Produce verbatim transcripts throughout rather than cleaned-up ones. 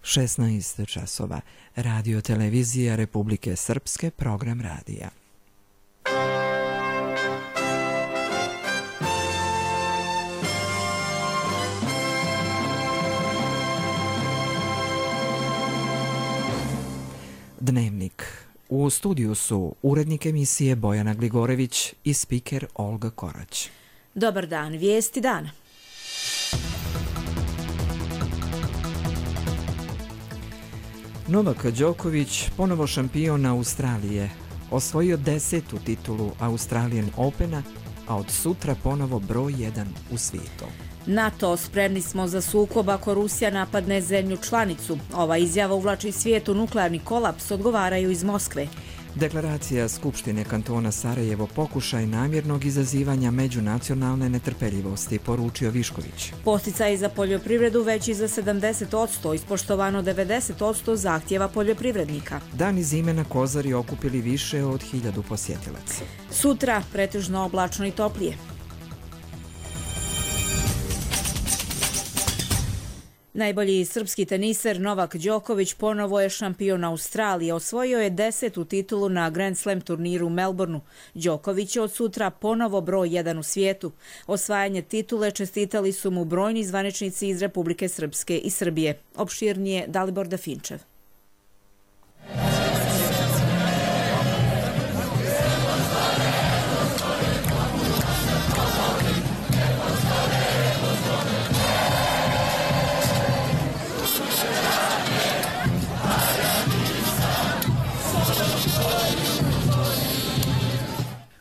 šesnaest časova. Radio televizija Republike Srpske, program radija. Dnevnik. U studiju su urednik emisije Bojana Gligorević i spiker Olga Korać. Dobar dan, vijesti dana. Novak Đoković, ponovo šampion Australije, osvojio desetu titulu Australian Opena, a od sutra ponovo broj jedan u svijetu. NATO, spremni smo za sukob ako Rusija napadne zemlju članicu. Ova izjava uvlači svijet u nuklearni kolaps, odgovaraju iz Moskve. Deklaracija Skupštine kantona Sarajevo pokušaj namjernog izazivanja međunacionalne netrpeljivosti, poručio Višković. Posticaji za poljoprivredu veći za sedamdeset posto, ispoštovano devedeset posto zahtjeva poljoprivrednika. Dani zime na Kozari okupili više od hiljadu posjetilaca. Sutra pretežno oblačno i toplije. Najbolji srpski teniser Novak Đoković ponovo je šampion Australije. Osvojio je desetu titulu na Grand Slam turniru u Melbourneu. Đoković je od sutra ponovo broj jedan u svijetu. Osvajanje titule čestitali su mu brojni zvaničnici iz Republike Srpske i Srbije. Opširnije Dalibor Dafinčev.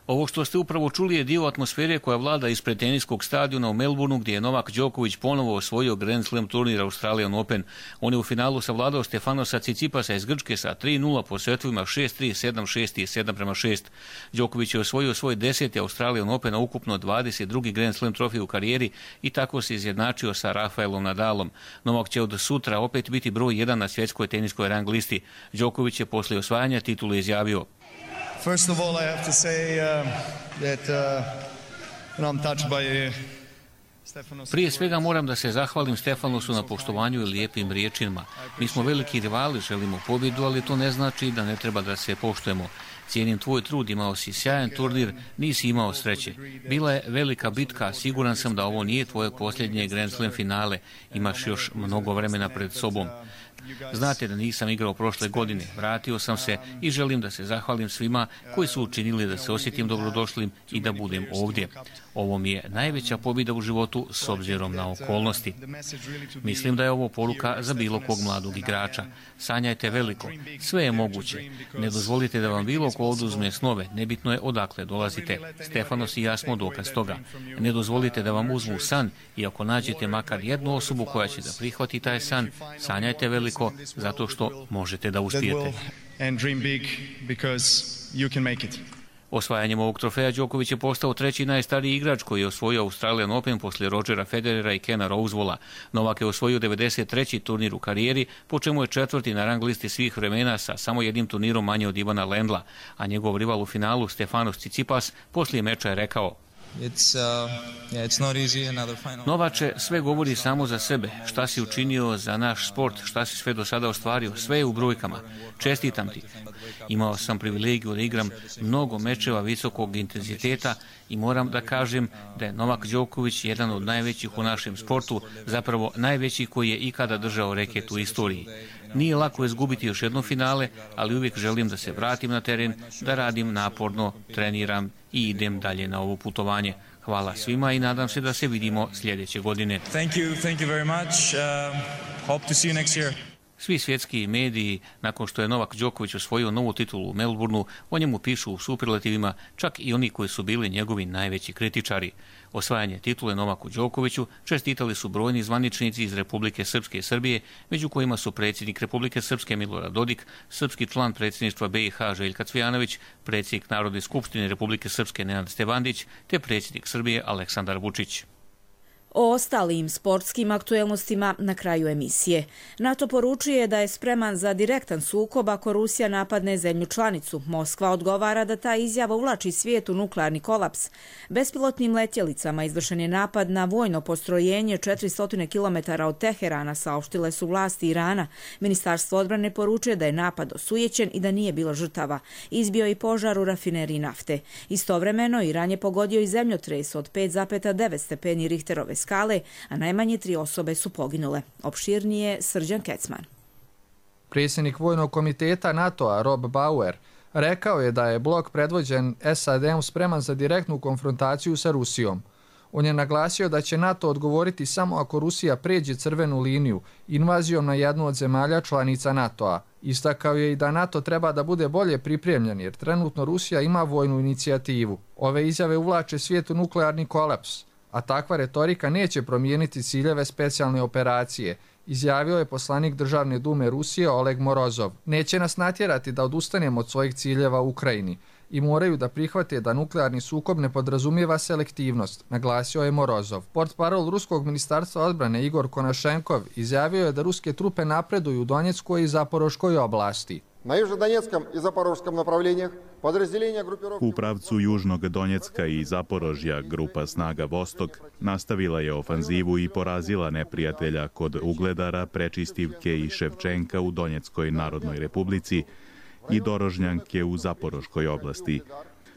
Ovo što ste upravo čuli je dio atmosfere koja vlada ispred teniskog stadiona u Melbourneu, gdje je Novak Đoković ponovo osvojio Grand Slam turnir Australian Open. On je u finalu savladao Stefanosa Cicipasa iz Grčke sa tri nula po setovima šest tri, sedam šest i sedam prema šest. Đoković je osvojio svoj deseti Australian Open, a ukupno dvadeset drugi Grand Slam trofej u karijeri i tako se izjednačio sa Rafaelom Nadalom. Novak će od sutra opet biti broj jedan na svjetskoj teniskoj rang listi. Đoković je poslije osvajanja titule izjavio: First of all, I have to say uh, that uh, I'm touched by Stefanos. Prije svega moram da se zahvalim Stefanosu na poštovanju i lijepim riječima. Mi smo veliki rivali, želimo pobjedu, ali to ne znači da ne treba da se poštujemo. Cijenim tvoj trud, imao si sjajan turnir, nisi imao sreće. Bila je velika bitka, siguran sam da ovo nije tvoje posljednje Grand Slam finale. Imaš još mnogo vremena pred sobom. Znate da nisam igrao prošle godine, vratio sam se i želim da se zahvalim svima koji su učinili da se osjetim dobrodošlim i da budem ovdje. Ovo mi je najveća pobjeda u životu s obzirom na okolnosti. Mislim da je ovo poruka za bilo kog mladog igrača. Sanjajte veliko, sve je moguće. Ne dozvolite da vam bilo ko oduzme snove, nebitno je odakle dolazite. Stefanos i ja smo dokaz toga. Ne dozvolite da vam uzmu san i ako nađete makar jednu osobu koja će da prihvati taj san, sanjajte veliko zato što možete da uspijete. Osvajanjem ovog trofeja Đoković je postao treći najstariji igrač koji je osvojio Australian Open poslije Rodgera Federera i Kena Rosewalla. Novak je osvojio devedeset treći turnir u karijeri, po čemu je četvrti na rang listi svih vremena sa samo jednim turnirom manje od Ivana Lendla, a njegov rival u finalu Stefanos Cicipas poslije meča je rekao: It's, uh, yeah, it's not easy, another final. Novače, sve govori samo za sebe. Šta si učinio za naš sport, šta si sve do sada ostvario, sve je u brojkama. Čestitam ti. Imao sam privilegiju da igram mnogo mečeva visokog intenziteta i moram da kažem da je Novak Đoković jedan od najvećih u našem sportu, zapravo najveći koji je ikada držao reket u istoriji. Nije lako izgubiti još jedno finale, ali uvijek želim da se vratim na teren, da radim naporno, treniram i idem dalje na ovo putovanje. Hvala svima i nadam se da se vidimo sljedeće godine. Thank you, thank you very much. Uh, hope to see you next year. Svi svjetski mediji, nakon što je Novak Đoković osvojio novu titulu u Melbourneu, o njemu pišu u superlativima, čak i oni koji su bili njegovi najveći kritičari. Osvajanje titule Novaku Đokoviću čestitali su brojni zvaničnici iz Republike Srpske i Srbije, među kojima su predsjednik Republike Srpske Milorad Dodik, srpski član predsjedništva B i H Željka Cvijanović, predsjednik Narodne skupštine Republike Srpske Nenad Stevandić, te predsjednik Srbije Aleksandar Vučić. O ostalim sportskim aktuelnostima na kraju emisije. NATO poručuje da je spreman za direktan sukob ako Rusija napadne zemlju članicu. Moskva odgovara da ta izjava uvlači svijet u nuklearni kolaps. Bespilotnim letjelicama izvršen je napad na vojno postrojenje četiristo kilometara od Teherana, saopštile su vlasti Irana. Ministarstvo odbrane poručuje da je napad osujećen i da nije bilo žrtava. Izbio i požar u rafineriji nafte. Istovremeno, Iran je pogodio i zemljotres od pet zarez devet stepeni Richterove skale, a najmanje tri osobe su poginule. Opširnije Srđan Kecman. Predsjednik Vojnog komiteta NATO-a Rob Bauer rekao je da je blok predvođen S A D-om spreman za direktnu konfrontaciju sa Rusijom. On je naglasio da će NATO odgovoriti samo ako Rusija pređe crvenu liniju invazijom na jednu od zemalja članica NATO-a. Istakao je i da NATO treba da bude bolje pripremljen jer trenutno Rusija ima vojnu inicijativu. Ove izjave uvlače svijet u nuklearni kolaps, a takva retorika neće promijeniti ciljeve specijalne operacije, izjavio je poslanik Državne dume Rusije Oleg Morozov. Neće nas natjerati da odustanemo od svojih ciljeva u Ukrajini i moraju da prihvate da nuklearni sukob ne podrazumijeva selektivnost, naglasio je Morozov. Portparol Ruskog ministarstva odbrane Igor Konašenkov izjavio je da ruske trupe napreduju u Donjeckoj i Zaporoškoj oblasti. Na južnodonjeckom i zaporoškom направлениях подразделения группировки... U pravcu Južnog Donjecka i Zaporožja grupa snaga Vostok nastavila je ofanzivu i porazila neprijatelja kod Ugledara, Prečistivke i Ševčenka u Donjeckoj Narodnoj Republici i Dorožnjanke u Zaporoškoj oblasti.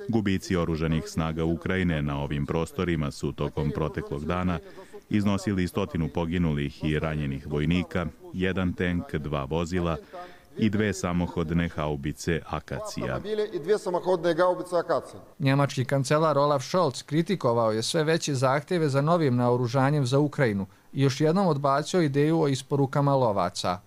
Gubici oružanih snaga Ukrajine na ovim prostorima su tokom proteklog dana iznosili stotinu poginulih i ranjenih vojnika, jedan tenk, dva vozila i dve samohodne haubice Akacija. Njemački kancelar Olaf Scholz kritikovao je sve veće zahtjeve za novim naoružanjem za Ukrajinu i još jednom odbacio ideju o isporukama lovaca.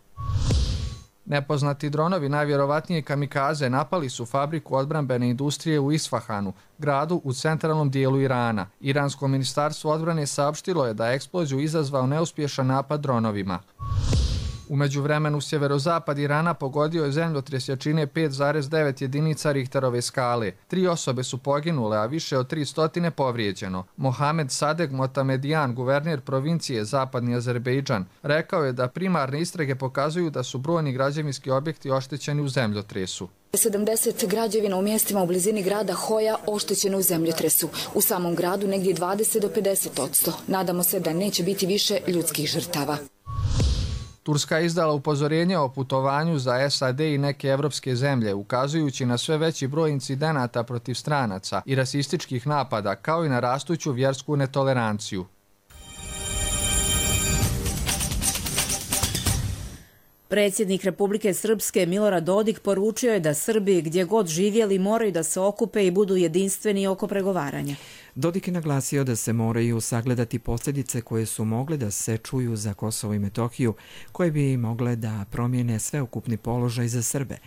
Nepoznati dronovi, najvjerovatnije kamikaze, napali su fabriku odbrambene industrije u Isfahanu, gradu u centralnom dijelu Irana. Iransko ministarstvo odbrane saopštilo je da je eksploziju izazvao neuspješan napad dronovima. U međuvremenu sjeverozapad Irana pogodio je zemljotres jačine pet zarez devet jedinica Richterove skale. Tri osobe su poginule, a više od tri stotine povrijeđeno. Mohamed Sadeg Motamedijan, guverner provincije Zapadni Azerbejdžan, rekao je da primarne istrage pokazuju da su brojni građevinski objekti oštećeni u zemljotresu. sedamdeset građevina u mjestima u blizini grada Hoja oštećeno u zemljotresu. U samom gradu negdje dvadeset do pedeset posto. Nadamo se da neće biti više ljudskih žrtava. Turska je izdala upozorenje o putovanju za S A D i neke evropske zemlje, ukazujući na sve veći broj incidenata protiv stranaca i rasističkih napada, kao i na rastuću vjersku netoleranciju. Predsjednik Republike Srpske Milorad Dodik poručio je da Srbi gdje god živjeli moraju da se okupe i budu jedinstveni oko pregovaranja. Dodik je naglasio da se moraju sagledati posljedice koje su mogle da se čuju za Kosovo i Metohiju, koje bi mogle da promijene sveukupni položaj za Srbe.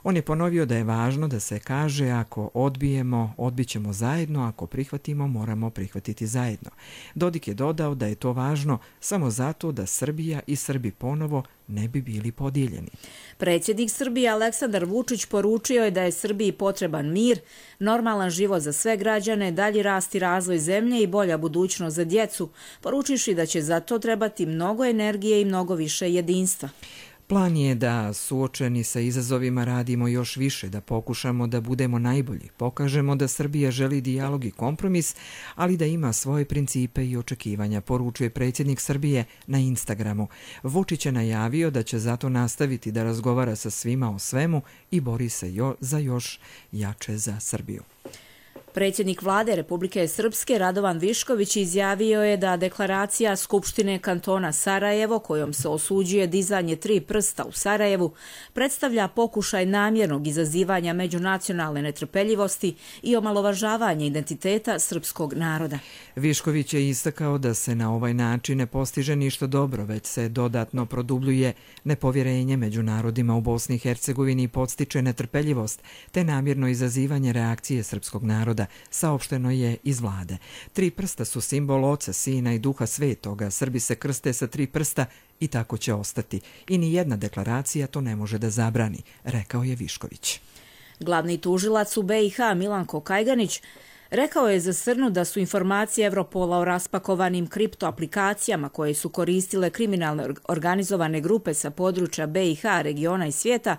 On je ponovio da je važno da se kaže ako odbijemo, odbit ćemo zajedno, ako prihvatimo, moramo prihvatiti zajedno. Dodik je dodao da je to važno samo zato da Srbija i Srbi ponovo ne bi bili podijeljeni. Predsjednik Srbije Aleksandar Vučić poručio je da je Srbiji potreban mir, normalan život za sve građane, dalji rast i razvoj zemlje i bolja budućnost za djecu, poručivši da će za to trebati mnogo energije i mnogo više jedinstva. Plan je da suočeni sa izazovima radimo još više, da pokušamo da budemo najbolji, pokažemo da Srbija želi dijalog i kompromis, ali da ima svoje principe i očekivanja, poručuje predsjednik Srbije na Instagramu. Vučić je najavio da će zato nastaviti da razgovara sa svima o svemu i bori se jo za još jače za Srbiju. Predsjednik vlade Republike Srpske Radovan Višković izjavio je da deklaracija Skupštine kantona Sarajevo, kojom se osuđuje dizanje tri prsta u Sarajevu, predstavlja pokušaj namjernog izazivanja međunacionalne netrpeljivosti i omalovažavanje identiteta srpskog naroda. Višković je istakao da se na ovaj način ne postiže ništa dobro, već se dodatno produbljuje nepovjerenje među narodima u Bosni i Hercegovini i podstiče netrpeljivost, te namjerno izazivanje reakcije srpskog naroda, saopšteno je iz vlade. Tri prsta su simbol Oca, Sina i Duha Svetoga. Srbi se krste sa tri prsta i tako će ostati. I ni jedna deklaracija to ne može da zabrani, rekao je Višković. Glavni tužilac u B i H Milanko Kajganić Rekao je za Srnu da su informacije Evropola o raspakovanim kriptoaplikacijama koje su koristile kriminalne organizovane grupe sa područja B i H, regiona i svijeta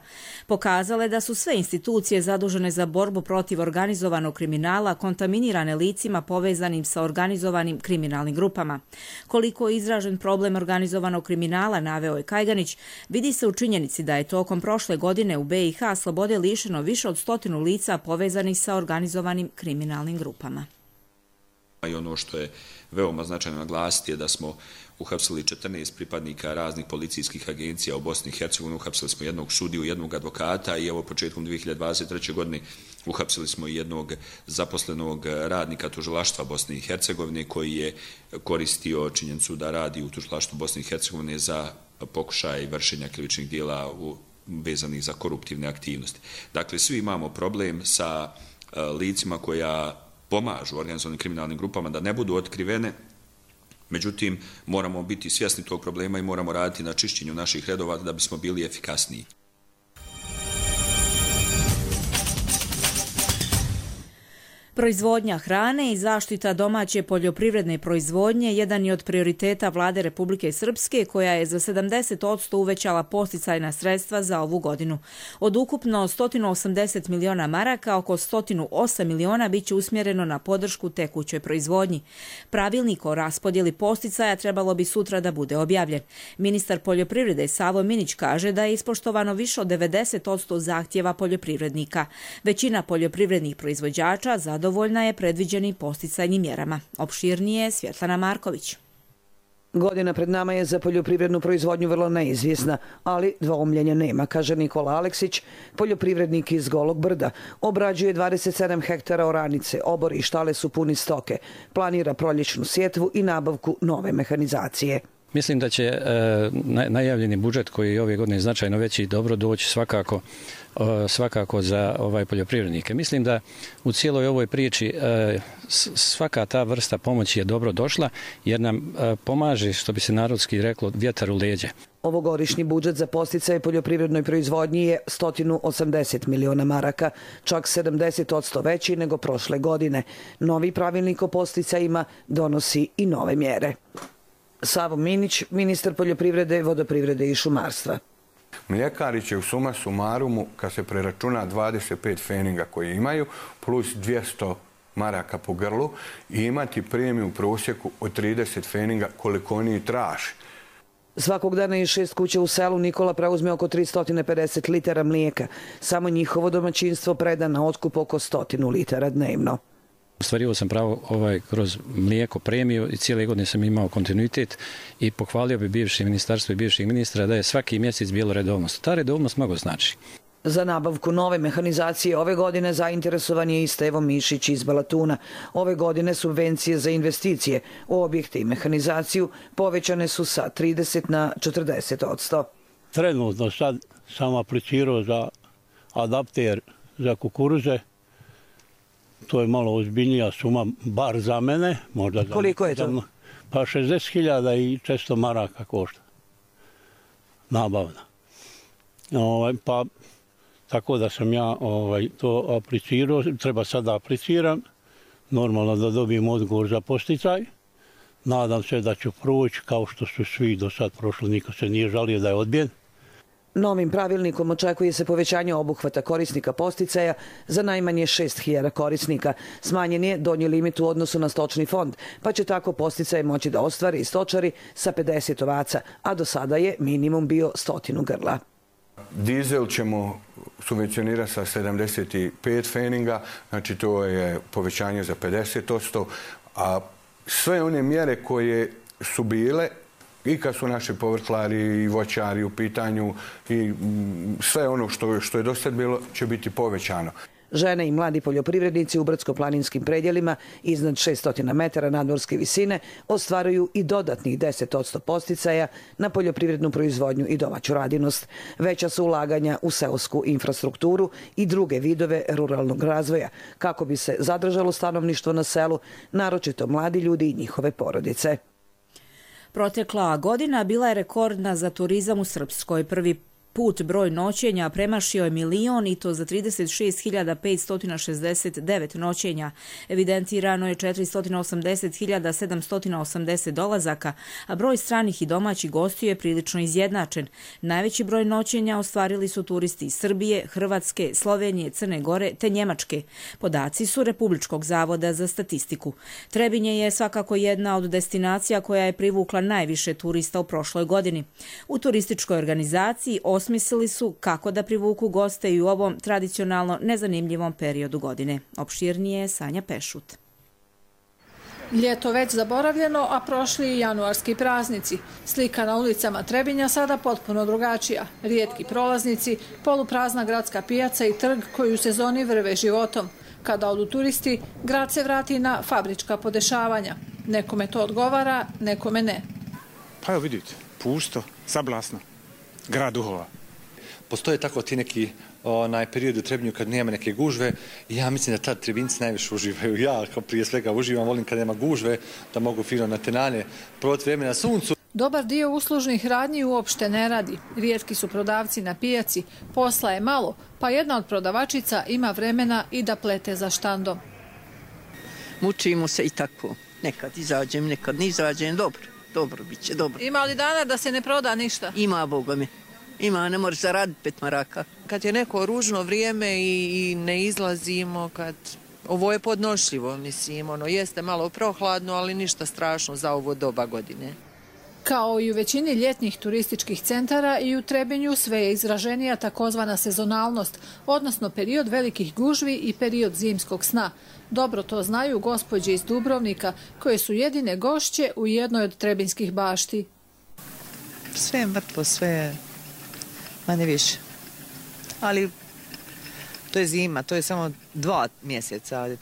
pokazale da su sve institucije zadužene za borbu protiv organizovanog kriminala kontaminirane licima povezanim sa organizovanim kriminalnim grupama. Koliko je izražen problem organizovanog kriminala, naveo je Kajganić, vidi se u činjenici da je tokom prošle godine u B i H slobode lišeno više od stotinu lica povezanih sa organizovanim kriminalnim grupama. I ono što je veoma značajno naglasiti je da smo uhapsili četrnaest pripadnika raznih policijskih agencija u Bosni i Hercegovini, uhapsili smo jednog sudiju, jednog advokata i evo početkom dvije hiljade dvadeset treće. godine uhapsili smo jednog zaposlenog radnika tužilaštva Bosne i Hercegovine koji je koristio činjenicu da radi u tužilaštvu Bosne i Hercegovine za pokušaj vršenja krivičnih djela vezanih za koruptivne aktivnosti. Dakle, svi imamo problem sa licima koja pomažu organizovanim kriminalnim grupama da ne budu otkrivene, međutim moramo biti svjesni tog problema i moramo raditi na čišćenju naših redova da bismo bili efikasniji. Proizvodnja hrane i zaštita domaće poljoprivredne proizvodnje jedan je od prioriteta vlade Republike Srpske, koja je za sedamdeset posto uvećala podsticajna sredstva za ovu godinu. Od ukupno sto osamdeset miliona maraka, oko sto osam miliona biće usmjereno na podršku tekućoj proizvodnji. Pravilnik o raspodjeli podsticaja trebalo bi sutra da bude objavljen. Ministar poljoprivrede Savo Minić kaže da je ispoštovano više od devedeset posto zahtjeva poljoprivrednika. Većina poljoprivrednih proizvođača zadovoljna Dovoljna je predviđenim podsticajnim mjerama. Opširnije Svjetlana Marković. Godina pred nama je za poljoprivrednu proizvodnju vrlo neizvjesna, ali dvoumljenja nema, kaže Nikola Aleksić, poljoprivrednik iz Golog Brda. Obrađuje dvadeset sedam hektara oranice, obori i štale su puni stoke. Planira proljećnu sjetvu i nabavku nove mehanizacije. Mislim da će e, najavljeni budžet koji je ove godine značajno veći i dobro doći svakako svakako za ovaj poljoprivrednike. Mislim da u cijeloj ovoj priči svaka ta vrsta pomoći je dobro došla jer nam pomaže, što bi se narodski reklo, vjetar u leđe. Ovogodišnji budžet za podsticaje poljoprivrednoj proizvodnji je sto osamdeset miliona maraka, čak sedamdeset posto veći nego prošle godine. Novi pravilnik o podsticajima donosi i nove mjere. Savo Minić, ministar poljoprivrede, vodoprivrede i šumarstva. Mljekari će u suma sumarumu, kad se preračuna dvadeset pet feninga koje imaju, plus dvjesto maraka po grlu, i imati premiju u prosjeku od trideset feninga koliko oni traži. Svakog dana iz šest kuća u selu Nikola preuzme oko tristo pedeset litara mlijeka. Samo njihovo domaćinstvo preda na otkup oko stotinu litara dnevno. Ostvario sam pravo ovaj, kroz mlijeko premiju i cijele godine sam imao kontinuitet i pohvalio bi bivši ministarstvo i bivših ministra da je svaki mjesec bilo redovnost. Ta redovnost mnogo znači. Za nabavku nove mehanizacije ove godine zainteresovan je i Stevo Mišić iz Balatuna. Ove godine subvencije za investicije u objekte i mehanizaciju povećane su sa trideset na četrdeset posto. Trenutno sad sam aplicirao za adapter za kukuruze. To je malo ozbiljnija suma, bar za mene. Možda za Koliko je to? Pa šezdeset hiljada i četiristo maraka košta. Nabavna. Ovaj, pa, tako da sam ja ovaj, to aplicirao. Treba sad da apliciram. Normalno da dobijem odgovor za posticaj. Nadam se da ću proći kao što su svi do sad prošli. Niko se nije žalio da je odbijen. Novim pravilnikom očekuje se povećanje obuhvata korisnika podsticaja za najmanje šest hiljada korisnika. Smanjen je donji limit u odnosu na stočni fond, pa će tako podsticaje moći da ostvari i stočari sa pedeset ovaca, a do sada je minimum bio stotinu grla. Dizel ćemo subvencionirati sa sedamdeset pet feninga, znači to je povećanje za pedeset posto, a sve one mjere koje su bile i kad su naši povrtlari i voćari u pitanju i sve ono što, što je do sad bilo će biti povećano. Žene i mladi poljoprivrednici u brdsko-planinskim predjelima iznad šessto metara nadmorske visine ostvaruju i dodatnih deset posto podsticaja na poljoprivrednu proizvodnju i domaću radinost. Veća su ulaganja u seosku infrastrukturu i druge vidove ruralnog razvoja, kako bi se zadržalo stanovništvo na selu, naročito mladi ljudi i njihove porodice. Protekla godina bila je rekordna za turizam u Srpskoj. Prvi put broj noćenja premašio je milion i to za trideset šest hiljada petsto šezdeset devet noćenja. Evidentirano je četiristo osamdeset hiljada sedamsto osamdeset dolazaka, a broj stranih i domaćih gostiju je prilično izjednačen. Najveći broj noćenja ostvarili su turisti iz Srbije, Hrvatske, Slovenije, Crne Gore te Njemačke. Podaci su Republičkog zavoda za statistiku. Trebinje je svakako jedna od destinacija koja je privukla najviše turista u prošloj godini. U turističkoj organizaciji osmislili su kako da privuku goste i u ovom tradicionalno nezanimljivom periodu godine. Opširnije je Sanja Pešut. Ljeto već zaboravljeno, a prošli i januarski praznici. Slika na ulicama Trebinja sada potpuno drugačija. Rijetki prolaznici, poluprazna gradska pijaca i trg koji u sezoni vrve životom. Kada odu turisti, grad se vrati na fabrička podešavanja. Nekome to odgovara, nekome ne. Pa evo vidite, pusto, sablasno, grad duhova. Postoje tako ti neki onaj period u Trebinju kad nema neke gužve i ja mislim da tad Trebinci najviše uživaju. Ja kao prije svega uživam, volim kad nema gužve, da mogu fino na tenane provati vrijeme na suncu. Dobar dio uslužnih radnji uopšte ne radi. Rijetki su prodavci na pijaci, posla je malo, pa jedna od prodavačica ima vremena i da plete za štandom. Mučimo se i tako. Nekad izađem, nekad ne izađem. Dobro, dobro bit će, dobro. Ima li dana da se ne proda ništa? Ima, Boga mi. Ima, ne možeš zaraditi pet maraka. Kad je neko ružno vrijeme i, i ne izlazimo, kad ovo je podnošljivo, mislim, ono, jeste malo prohladno, ali ništa strašno za ovo doba godine. Kao i u većini ljetnih turističkih centara i u Trebinju sve je izraženija takozvana sezonalnost, odnosno period velikih gužvi i period zimskog sna. Dobro to znaju gospođe iz Dubrovnika, koje su jedine gošće u jednoj od trebinskih bašti. Sve je mrtvo, sve je manje više. Ali to je zima, to je samo dva mjeseca, ali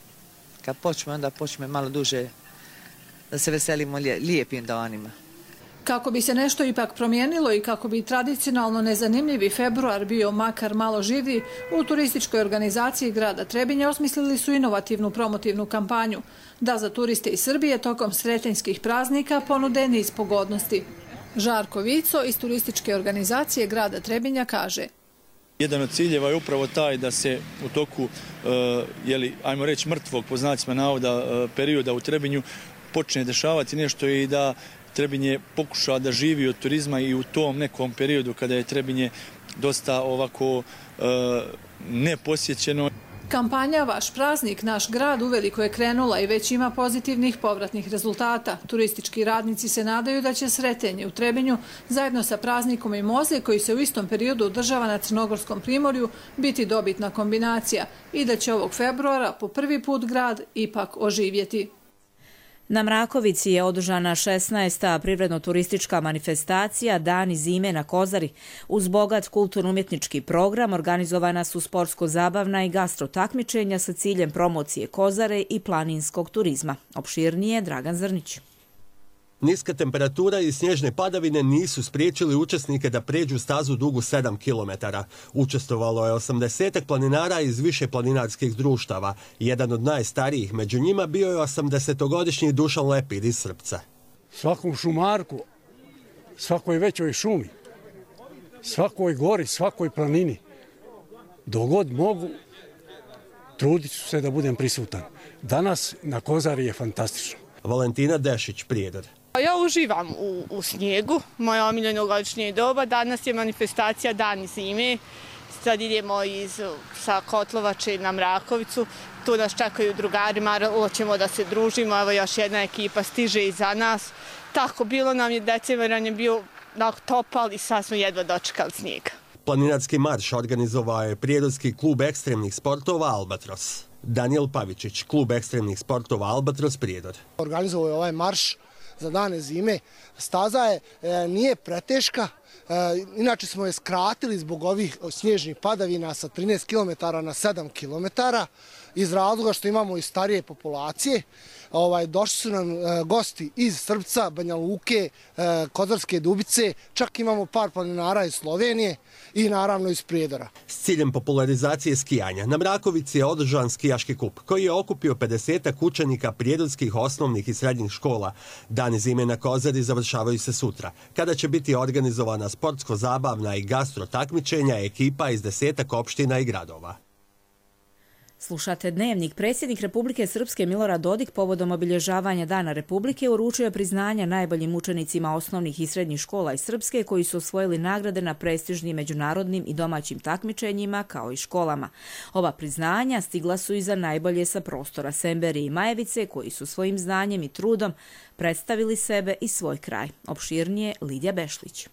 kad počne, onda počne malo duže da se veselimo lijepim danima. Kako bi se nešto ipak promijenilo i kako bi tradicionalno nezanimljivi februar bio makar malo živiji, u turističkoj organizaciji grada Trebinja osmislili su inovativnu promotivnu kampanju da za turiste iz Srbije tokom sretenjskih praznika ponude niz pogodnosti. Žarko Vico iz turističke organizacije grada Trebinja kaže: Jedan od ciljeva je upravo taj da se u toku, jeli, ajmo reći, mrtvog, po znacima navoda, perioda u Trebinju počne dešavati nešto i da Trebinje pokuša da živi od turizma i u tom nekom periodu kada je Trebinje dosta ovako e, neposjećeno. Kampanja Vaš praznik, naš grad uveliko je krenula i već ima pozitivnih povratnih rezultata. Turistički radnici se nadaju da će Sretenje u Trebinju zajedno sa praznikom i Moze, koji se u istom periodu održava na Crnogorskom primorju, biti dobitna kombinacija i da će ovog februara po prvi put grad ipak oživjeti. Na Mrakovici je održana šesnaesta privredno-turistička manifestacija Dani zime na Kozari. Uz bogat kulturno-umjetnički program organizovana su sportsko-zabavna i gastro takmičenja sa ciljem promocije Kozare i planinskog turizma. Opširnije Dragan Zrnić. Niska temperatura i snježne padavine nisu spriječili učesnike da pređu stazu dugu sedam kilometara. Učestvovalo je osamdesetak planinara iz više planinarskih društava. Jedan od najstarijih među njima bio je osamdesetogodišnji Dušan Lepid iz Srpca. Svakom šumarku, svakoj većoj šumi, svakoj gori, svakoj planini, dogod mogu, trudit ću se da budem prisutan. Danas na Kozari je fantastično. Valentina Dešić, Prijedor. Ja uživam u, u snijegu, moja omiljeno godišnje doba. Danas je manifestacija Dani zime. Sad idemo iz, sa Kotlovače na Mrakovicu. Tu nas čekaju drugari, malo ćemo da se družimo. Evo još jedna ekipa stiže iza nas. Tako, bilo nam je, decembaran je bio topal i sad smo jedva dočekali snijega. Planinarski marš organizovao je Prijedorski klub ekstremnih sportova Albatros. Daniel Pavičić, klub ekstremnih sportova Albatros, Prijedor. Organizovao je ovaj marš za Dane zime. Staza je, e, nije preteška, e, inače smo je skratili zbog ovih snježnih padavina sa trinaest kilometara na sedam kilometara. iz razloga što imamo i starije populacije. Ovaj, došli su nam e, gosti iz Srpca, Banja Luke, e, Kozarske Dubice, čak imamo par planinara iz Slovenije i naravno iz Prijedora. S ciljem popularizacije skijanja na Mrakovici je održan skijaški kup koji je okupio pedesetak učenika prijedorskih osnovnih i srednjih škola. Dani zime na Kozari završavaju se sutra, kada će biti organizovana sportsko-zabavna i gastro takmičenja ekipa iz desetak opština i gradova. Slušate Dnevnik. Predsjednik Republike Srpske Milorad Dodik povodom obilježavanja Dana Republike uručio je priznanja najboljim učenicima osnovnih i srednjih škola iz Srpske koji su osvojili nagrade na prestižnim međunarodnim i domaćim takmičenjima kao i školama. Ova priznanja stigla su i za najbolje sa prostora Semberije i Majevice koji su svojim znanjem i trudom predstavili sebe i svoj kraj. Opširnije Lidija Bešlić.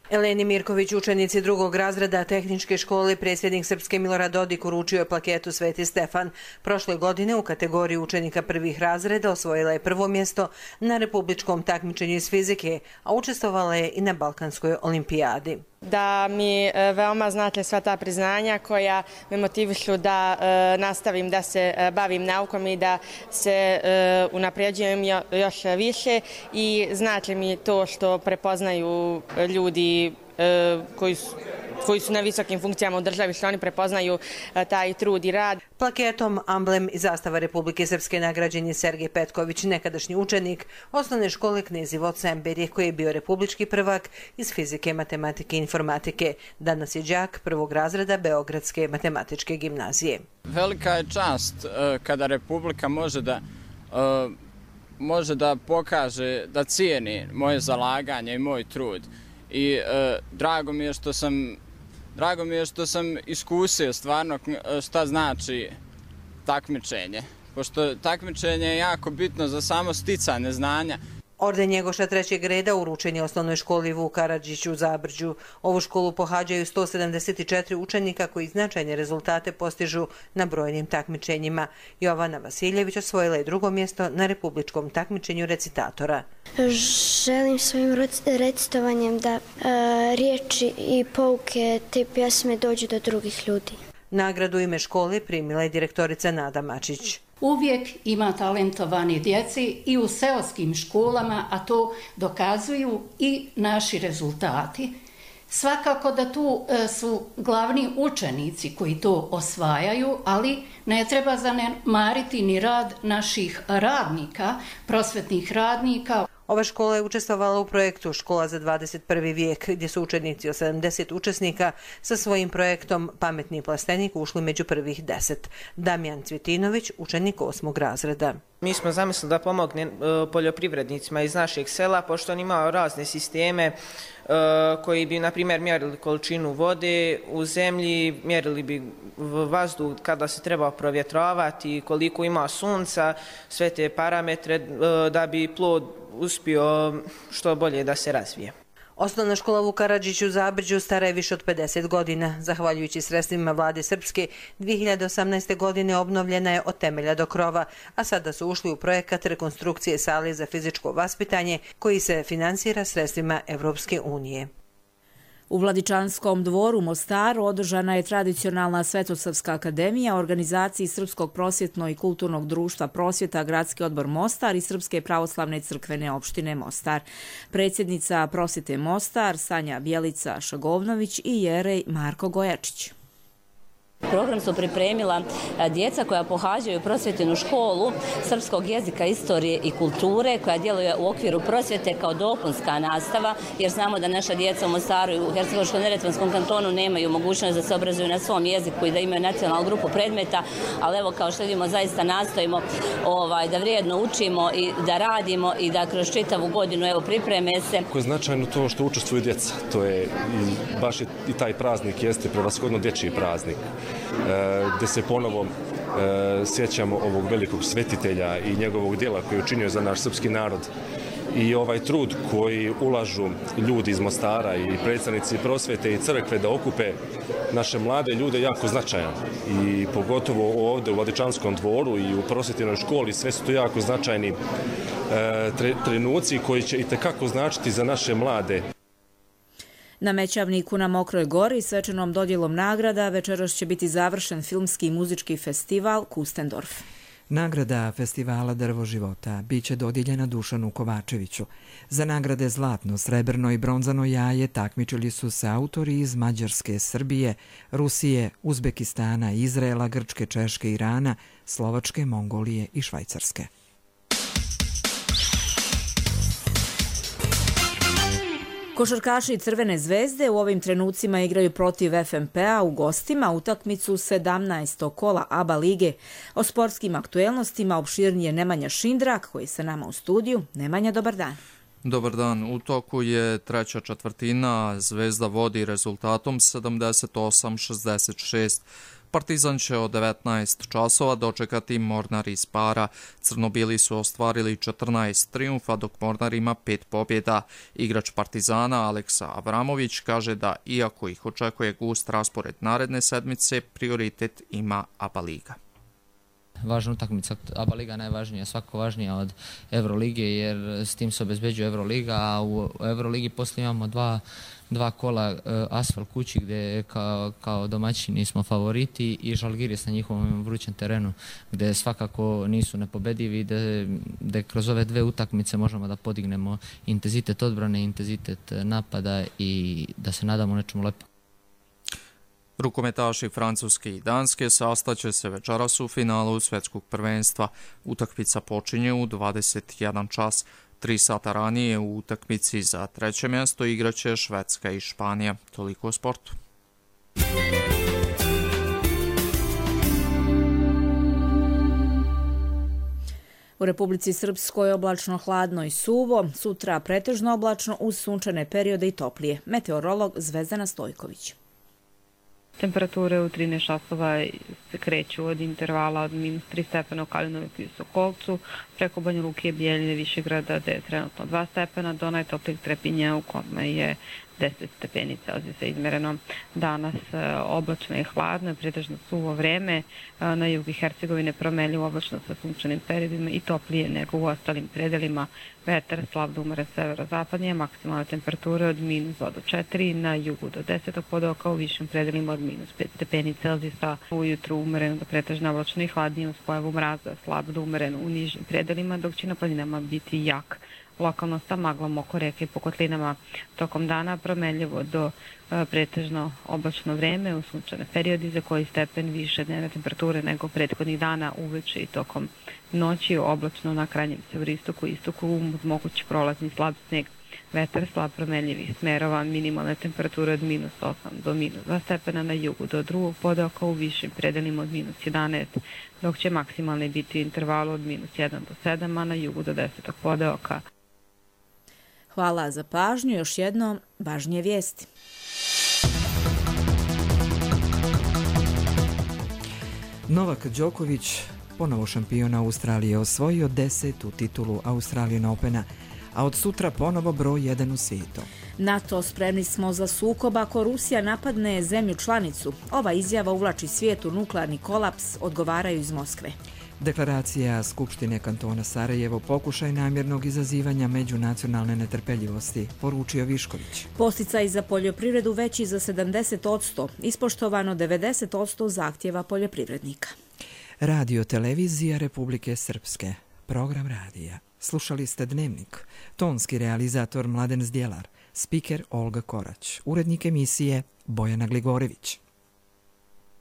Eleni Mirković, učenici drugog razreda tehničke škole, predsjednik Srpske Milorad Dodik uručio je plaketu Sveti Stefan. Prošle godine u kategoriji učenika prvih razreda osvojila je prvo mjesto na republičkom takmičenju iz fizike, a učestvovala je i na Balkanskoj olimpijadi. Da mi veoma znate sva ta priznanja koja me motivišu da e, nastavim da se e, bavim naukom i da se e, unapređujem jo, još više i znate mi to što prepoznaju ljudi e, koji su koji su na visokim funkcijama u državi, što oni prepoznaju taj trud i rad. Plaketom, amblem i zastava Republike Srpske nagrađen je Sergej Petković, nekadašnji učenik osnovne škole Knezivo Semberije, koji je bio republički prvak iz fizike, matematike i informatike. Danas je đak prvog razreda Beogradske matematičke gimnazije. Velika je čast kada Republika može da može da pokaže, da cijeni moje zalaganje i moj trud. I e, drago mi je što sam drago mi je što sam iskusio stvarno šta znači takmičenje, pošto takmičenje je jako bitno za samo sticanje znanja. Orden Njegoša trećeg reda uručen je osnovnoj školi Vuk Karadžić u Zabržđu. Ovu školu pohađaju sto sedamdeset četiri učenika koji značajne rezultate postižu na brojnim takmičenjima. Jovana Vasiljević osvojila je drugo mjesto na republičkom takmičenju recitatora. Želim svojim recitovanjem da e, riječi i pouke te pjesme dođu do drugih ljudi. Nagradu ime škole primila je direktorica Nada Mačić. Uvijek ima talentovani djeci i u seoskim školama, a to dokazuju i naši rezultati. Svakako da tu su glavni učenici koji to osvajaju, ali ne treba zanemariti ni rad naših radnika, prosvetnih radnika. Ova škola je učestvovala u projektu Škola za dvadeset prvi vijek, gdje su učenici od sedamdeset učesnika sa svojim projektom Pametni plastenik ušli među prvih deset. Damjan Cvjetinović, učenik osmog razreda. Mi smo zamislili da pomogne poljoprivrednicima iz našeg sela, pošto oni imaju razne sisteme koji bi, na primjer, mjerili količinu vode u zemlji, mjerili bi vazduh kada se treba provjetravati, koliko ima sunca, sve te parametre da bi plod uspio što bolje da se razvije. Osnovna škola Vuk Karadžić u Zabržđu stara je više od pedeset godina. Zahvaljujući sredstvima vlade Srpske, dvije hiljade osamnaeste. godine obnovljena je od temelja do krova, a sada su ušli u projekat rekonstrukcije sale za fizičko vaspitanje koji se finansira sredstvima Evropske unije. U Vladičanskom dvoru u Mostaru održana je tradicionalna Svetosavska akademija, organizaciji Srpskog prosvjetno i kulturnog društva Prosvjeta, Gradski odbor Mostar i Srpske pravoslavne crkvene opštine Mostar. Predsjednica Prosvjete Mostar, Sanja Bjelica Šagovnović i jerej Marko Gojačić. Program su pripremila djeca koja pohađaju prosvjetnu školu srpskog jezika, istorije i kulture koja djeluje u okviru prosvjete kao dopunska nastava, jer znamo da naša djeca u Mostaru i u Hercegovačko-neretvanskom kantonu nemaju mogućnost da se obrazuju na svom jeziku i da imaju nacionalnu grupu predmeta, ali evo kao što vidimo zaista nastojimo ovaj, da vrijedno učimo i da radimo i da kroz čitavu godinu evo pripreme se. Kako je značajno to što učestvuju djeca, to je i baš je, i taj praznik jeste prevashodno dječji praznik. Gdje se ponovo e, sjećamo ovog velikog svetitelja i njegovog djela koji je učinio za naš srpski narod. I ovaj trud koji ulažu ljudi iz Mostara i predstavnici prosvjete i crkve da okupe naše mlade ljude jako značajan. I pogotovo ovdje u Vladičanskom dvoru i u prosvjetnoj školi sve su to jako značajni e, tre, trenuci koji će itekako značiti za naše mlade. Na Mećavniku na Mokroj gori svečanom dodjelom nagrada večeras će biti završen filmski i muzički festival Kustendorf. Nagrada festivala Drvo života biće dodijeljena Dušanu Kovačeviću. Za nagrade zlatno, srebrno i bronzano jaje takmičili su se autori iz Mađarske, Srbije, Rusije, Uzbekistana, Izraela, Grčke, Češke, Irana, Slovačke, Mongolije i Švajcarske. Košarkaši Crvene zvezde u ovim trenucima igraju protiv F M P-a u gostima utakmicu sedamnaestog kola A B A lige. O sportskim aktuelnostima opširnije Nemanja Šindrak, koji je sa nama u studiju. Nemanja, dobar dan. Dobar dan. U toku je treća četvrtina. Zvezda vodi rezultatom sedamdeset osam šezdeset šest. Partizan će od devetnaest časova dočekati Mornar iz Para. Crnobili su ostvarili četrnaest trijumfa, dok Mornar ima pet pobjeda. Igrač Partizana Aleksa Avramović kaže da, iako ih očekuje gust raspored naredne sedmice, prioritet ima A B A liga. Važna utakmica, A B A liga najvažnija, svako važnija od Evrolige, jer s tim se obezbeđuje Evroliga, a u Evroligi poslije imamo dva dva kola Asfalt kući gdje kao, kao domaćini smo favoriti i Žalgiris na njihovom vrućem terenu gdje svakako nisu nepobedivi, gdje kroz ove dve utakmice možemo da podignemo intenzitet odbrane, intenzitet napada i da se nadamo nečemu lepo. Rukometaši Francuske i Danske sastaće se večeras u finalu svjetskog prvenstva. Utakmica počinje u dvadeset jedan čas. Tri sata ranije u utakmici za treće mjesto igraće Švedska i Španija. Toliko o sportu. U Republici Srpskoj oblačno, hladno i suvo, sutra pretežno oblačno uz sunčane periode i toplije. Meteorolog Zvezdana Stojković. Temperature u trinaest časova se kreću od intervala od minus tri stepena u Kalinoviku i Sokolcu, preko Banja Luke, Bijeljine, Višegrada, gde je trenutno dva stepena, do najtoplijeg Trepinja u kome je deset stepeni Celzijusa izmereno. Danas oblačno i hladno, pretežno suvo vreme, na jugu i Hercegovine promenljivo oblačno sa sunčanim periodima i toplije nego u ostalim predelima. Vetar slab do umeren severozapadnije, maksimalne temperature od minus dva do četiri, na jugu do deset podoka, u višim predelima od minus pet stepeni Celzijusa. Ujutru umereno do pretežno oblačno i hladnije uz pojavu mraza, slab do umeren u nižim predelima, dok će na planinama biti jak. Lokalno sa maglom oko reke i po kotlinama. Tokom dana promenljivo do e, pretežno oblačno vreme u sunčane periodi za koji stepen više dnevne temperature nego prethodnih dana, uveče i tokom noći oblačno na krajnjem severistoku i istoku uz mogući prolazni slab sneg. Vetar slab promenljivih smerova, minimalne temperature od minus osam do minus dva stepena, na jugu do drugog podoka, u višim predelima od minus jedanaest, dok će maksimalni biti u intervalu od minus jedan do sedam, a na jugu do deset podoka. Hvala za pažnju. Još jednom, važnije vijesti. Novak Đoković, ponovo šampion Australije, osvojio desetu titulu Australian Opena, a od sutra ponovo broj jedan u svijetu. NATO, spremni smo za sukob ako Rusija napadne zemlju članicu. Ova izjava uvlači svijet u nuklearni kolaps, odgovaraju iz Moskve. Deklaracija Skupštine kantona Sarajevo pokušaj namjernog izazivanja međunacionalne netrpeljivosti, poručio Višković. Posticaj za poljoprivredu veći za sedamdeset posto, ispoštovano devedeset posto zahtjeva poljoprivrednika. Radio televizija Republike Srpske, program radija. Slušali ste Dnevnik, tonski realizator Mladen Zdjelar, spiker Olga Korać, urednik emisije Bojana Gligorević.